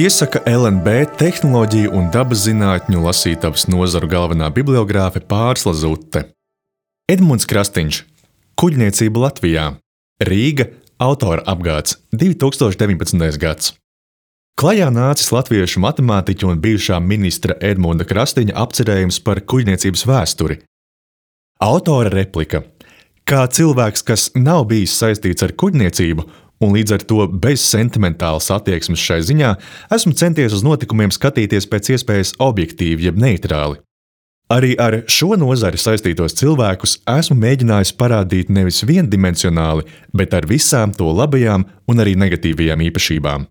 Iesaka LNB tehnoloģiju un dabas zinātņu lasītavas nozaru galvenā bibliogrāfe Pārsla Zute. Edmunds Krastiņš, Kuģniecība Latvijā, Rīga, autora apgāds, 2019. gads. Klajā nācis latviešu matemātiķa un bijušā ministra Edmunda Krastiņa apcerējums par kuģniecības vēsturi. Autora replika: kā cilvēks, kas nav bijis saistīts ar kuģniecību un līdz ar to bez sentimentālas attieksmes šai ziņā, esmu centies uz notikumiem skatīties pēc iespējas objektīvi jeb neitrāli. Arī ar šo nozari saistītos cilvēkus esmu mēģinājis parādīt nevis viendimensionāli, bet ar visām to labajām un arī negatīvajām īpašībām.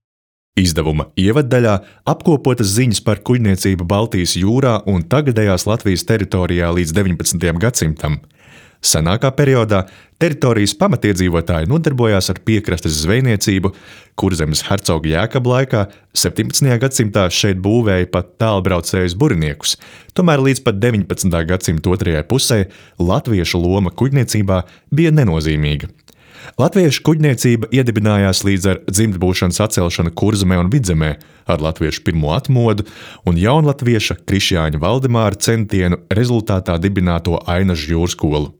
Izdevuma ievaddaļā apkopotas ziņas par kuģniecību Baltijas jūrā un tagadējās Latvijas teritorijā līdz 19. gadsimtam. Senākā periodā teritorijas pamatiedzīvotāji nodarbojās ar piekrastes zvejniecību, Kurzemes hercoga Jēkaba laikā 17. gadsimtā šeit būvēja pat tālbraucējus buriniekus, tomēr līdz pat 19. gadsimta otrajai pusē latviešu loma kuģniecībā bija nenozīmīga. Latviešu kuģniecība iedibinājās līdz ar dzimtbūšanas atcelšanu Kurzemē un Vidzemē, ar latviešu pirmo atmodu un jaunlatvieša Krišjāņa Valdemāra centienu rezultātā dibināto Ainažu jūrskolu.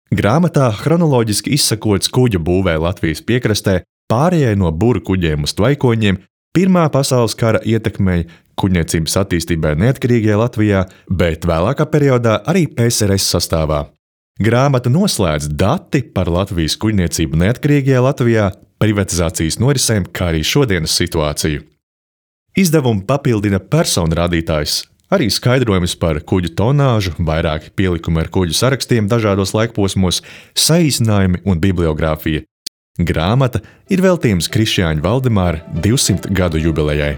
Grāmatā chronoloģiski izsakots kuģu būvē Latvijas piekrastē, pārējai no buru kuģiem uz tvaikoņiem, Pirmā pasaules kara ietekmei kuģniecības attīstībai neatkarīgajā Latvijā, bet vēlākā periodā arī PSRS sastāvā. Grāmata noslēdz dati par Latvijas kuģniecību neatkarīgajā Latvijā, privatizācijas norisēm, kā arī šodienas situāciju. Izdevumu papildina personu rādītājs, arī skaidrojums par kuģu tonāžu, vairāki pielikumi ar kuģu sarakstiem dažādos laikposmos, saīsinājumi un bibliogrāfija. Grāmata ir veltījums Krišjāņa Valdemāra 200 gadu jubilejai.